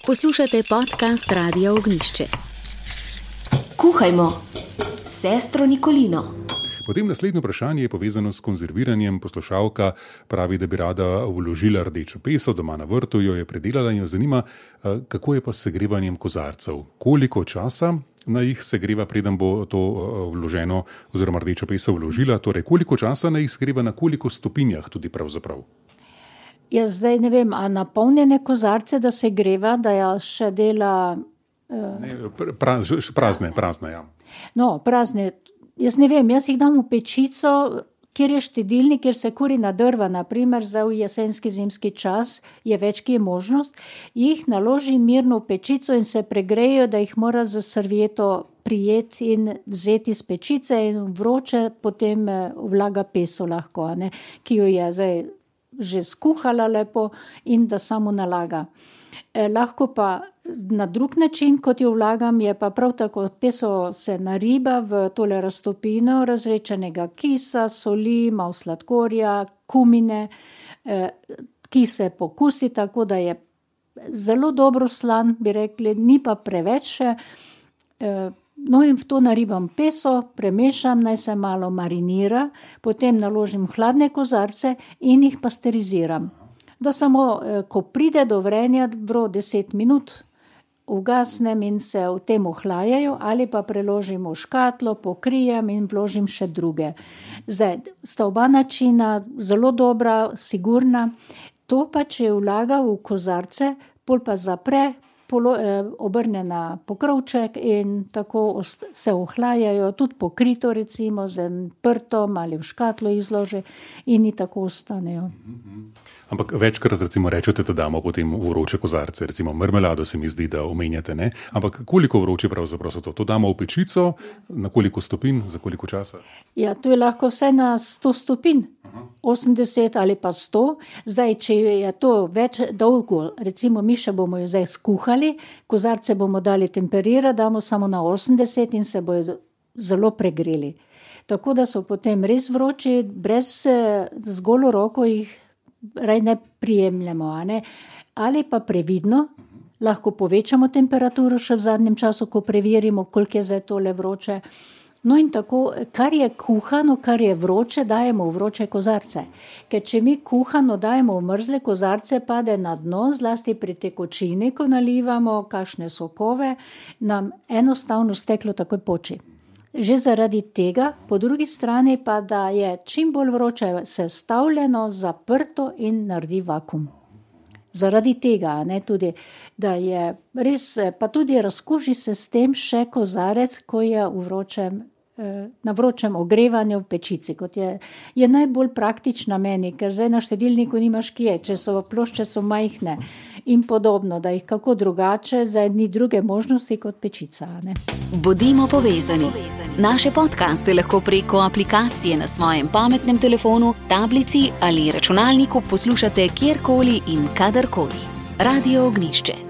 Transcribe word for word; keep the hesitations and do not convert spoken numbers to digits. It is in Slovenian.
Poslušate podcast Radia Ognjišče. Kuhajmo s sestro Nikolino. Potem naslednje vprašanje je povezano s konzerviranjem. Poslušalka pravi, da bi rada vložila rdečo peso, doma na vrtu jo je predelala in jo zanima, kako je pa s segrevanjem kozarcev. Koliko časa na jih segreva, preden bo to vloženo oziroma rdečo peso vložila? Torej, koliko časa na jih segreva, na koliko stopinjah tudi pravzaprav? Jaz zdaj ne vem, a napolnjene kozarce, da se greva, da ja še dela... Uh... Ne, pra, prazne, prazne, ja. No, prazne. Jaz ne vem, jaz jih dam v pečico, kjer je štedilnik, kjer se kuri na drva, naprimer za v jesenski zimski čas, je več, ki je možnost, jih naložim mirno v pečico in se pregrejo, da jih mora z servieto prijeti in vzeti z pečice in vroče potem vlaga peso lahko, ne, ki jo je zdaj že skuhala lepo in da samo nalaga. Eh, lahko pa na drug način, kot jo vlagam, je pa prav tako, peso se nariba v tole raztopino razrečenega kisa, soli, malo sladkorja, kumine, eh, ki se pokusi tako, da je zelo dobro slan, bi rekli, ni pa preveč. Eh, no in v to naribam peso, premešam, naj se malo marinira, potem naložim hladne kozarce in jih pasteriziram. Da samo, ko pride do vrenja, vro deset minut, ugasnem in se v tem ohlajajo, ali pa preložim v škatlo, pokrijem in vložim še druge. Zdaj, sta oba načina zelo dobra, sigurna. To pa, če vlaga v kozarce, pol pa zapre, polo, eh, obrne na pokrovček in tako se ohlajajo, tudi pokrito recimo z prtom ali v škatlo izlože in tako ostanejo. Ampak večkrat recimo rečete, da damo potem vroče kozarce, recimo marmelado se mi zdi, da omenjate, ne? Ampak koliko vroče pravzaprav so to? To damo v pečico, na koliko stopinj, za koliko časa? Ja, to je lahko vse na sto stopinj, osemdeset ali pa sto. Zdaj, če je to več dolgo, recimo mi še bomo jo zdaj skuhali, kozarce bomo dali temperirati, damo samo na osemdeset in se bojo zelo pregreli. Tako da so potem res vroči, brez z golo roko jih raj ne prijemljamo, a ne? Ali pa previdno, lahko povečamo temperaturo še v zadnjem času, ko preverimo, koliko je zdaj tole vroče. No in tako, kar je kuhano, kar je vroče, dajemo v vroče kozarce. Ker če mi kuhano dajemo v mrzle kozarce, pade na dno, zlasti pri tekočini, ko nalivamo kakšne sokove, nam enostavno steklo takoj poči. Že zaradi tega, po drugi strani pa, da je čim bolj vroče sestavljeno, zaprto in naredi vakuum. Zaradi tega, ne, tudi, da je res, pa tudi razkuži se s tem še kozarec, ko je v vročem, na vročem ogrevanju v pečici, kot je, je najbolj praktična meni, ker zdaj na štedilniku nimaš kje, če so plošče so majhne in podobno, da jih kako drugače, zdaj ni druge možnosti kot pečica. Ne. Bodimo povezani. Naše podcaste lahko preko aplikacije na svojem pametnem telefonu, tablici ali računalniku poslušate kjerkoli in kadarkoli. Radio Ognjišče.